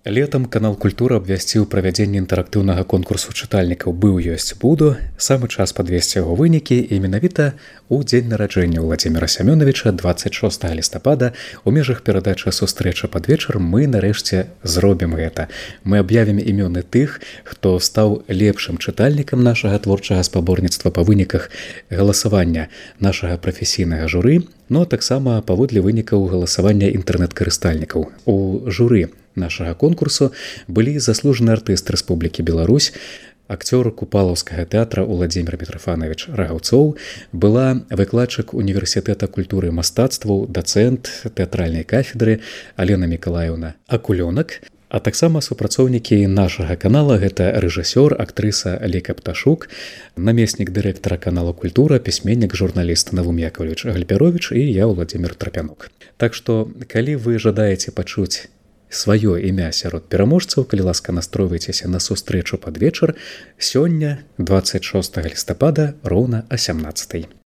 Летам канал Культура абвясціў правядзенне інтэрактыўнага конкурсу чытальнікаў «Быў, ёсць, буду». Самы час падвесці яго вынікі і менавіта ў дзень нараджэння Владзіміра Сямёнавіча 26 лістапада у межах перадачы «Сустрэча пад вечар» мы нарэшце зробім гэта. Мы аб'явім імёны тых, хто стаў лепшым чытальнікам нашага творчага спаборніцтва па выніках галасавання нашага прафесійнага журы, но таксама паводле вынікаў галасавання інтэрнэт-карыстальнікаў. У журы нашага конкурсу былі заслужаны артыст Рэспублікі Беларусь, акцёр Купалаўскага тэатра Уладзімір Мітрафанович Рагаўцоў, была выкладчык універсітэта культуры і мастацтваў, дацэнт тэатральнай кафедры Алена Мікалаеўна Акулёнак, а таксама супрацоўнікі нашага канала — гэта рэжысёр, актрыса Лейка Пташук, намеснік дырэктара канала Культура, пісьменнік, журналіст Навум Яковлевич Гальпяровіч і я, Владзімір Трапянук. Так што, калі вы жадаеце пачуць сваё імя сярод пераможцаў, калі ласка, настройвайцеся на сустрэчу пад вечар сёння, 26 лістапада, роўна о 17.